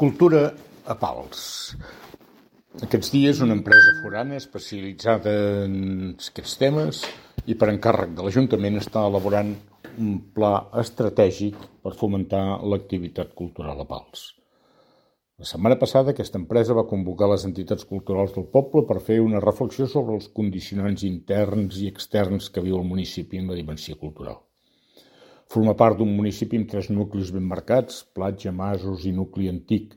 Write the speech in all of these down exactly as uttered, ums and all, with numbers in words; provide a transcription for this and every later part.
Cultura a Pals. Aquests dies una empresa forana especialitzada en aquests temes i per encàrrec de l'Ajuntament està elaborant un pla estratègic per fomentar l'activitat cultural a Pals. La setmana passada aquesta empresa va convocar les entitats culturals del poble per fer una reflexió sobre els condicionants interns i externs que viu el municipi en la dimensió cultural. Forma part d'un municipi amb tres nuclis ben marcats, platja, masos i nucli antic,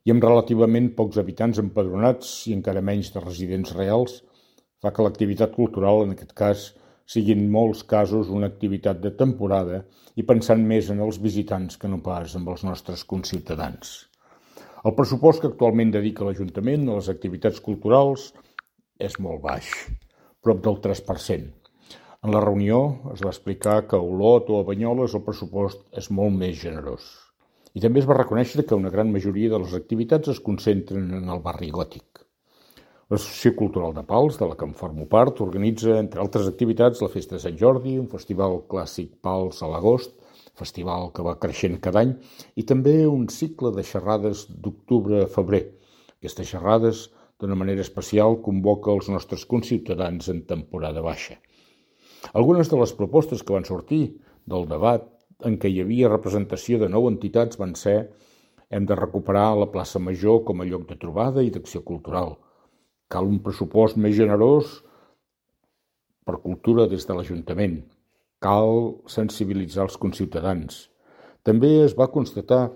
i amb relativament pocs habitants empadronats i encara menys de residents reals, fa que l'activitat cultural, en aquest cas, sigui en molts casos una activitat de temporada i pensant més en els visitants que no pas en els nostres conciutadans. El pressupost que actualment dedica l'Ajuntament a les activitats culturals és molt baix, prop del tres per cent. En la reunió es va explicar que a Olot o a Banyoles el pressupost és molt més generós. I també es va reconèixer que una gran majoria de les activitats es concentren en el barri gòtic. L'Associació Cultural de Pals, de la que em formo part, organitza, entre altres activitats, la Festa de Sant Jordi, un festival clàssic Pals a l'agost, festival que va creixent cada any, i també un cicle de xerrades d'octubre a febrer. Aquestes xerrades, d'una manera especial, convoca els nostres conciutadans en temporada baixa. Algunes de les propostes que van sortir del debat en què hi havia representació de nou entitats van ser: hem de recuperar la plaça Major com a lloc de trobada i d'acció cultural. Cal un pressupost més generós per cultura des de l'Ajuntament. Cal sensibilitzar els conciutadans. També es va constatar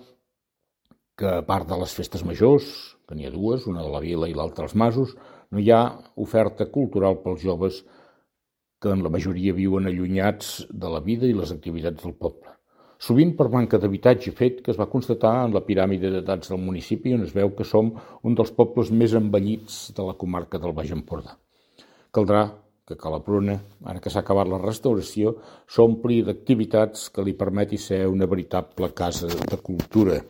que, a part de les festes majors, que n'hi ha dues, una de la Vila i l'altra als Masos, no hi ha oferta cultural pels joves que en la majoria viuen allunyats de la vida i les activitats del poble. Sovint per manca d'habitatge, fet que es va constatar en la piràmide d'edats del municipi, on es veu que som un dels pobles més envellits de la comarca del Baix Empordà. Caldrà que Cala Pruna, ara que s'ha acabat la restauració, s'ompli d'activitats que li permeti ser una veritable casa de cultura.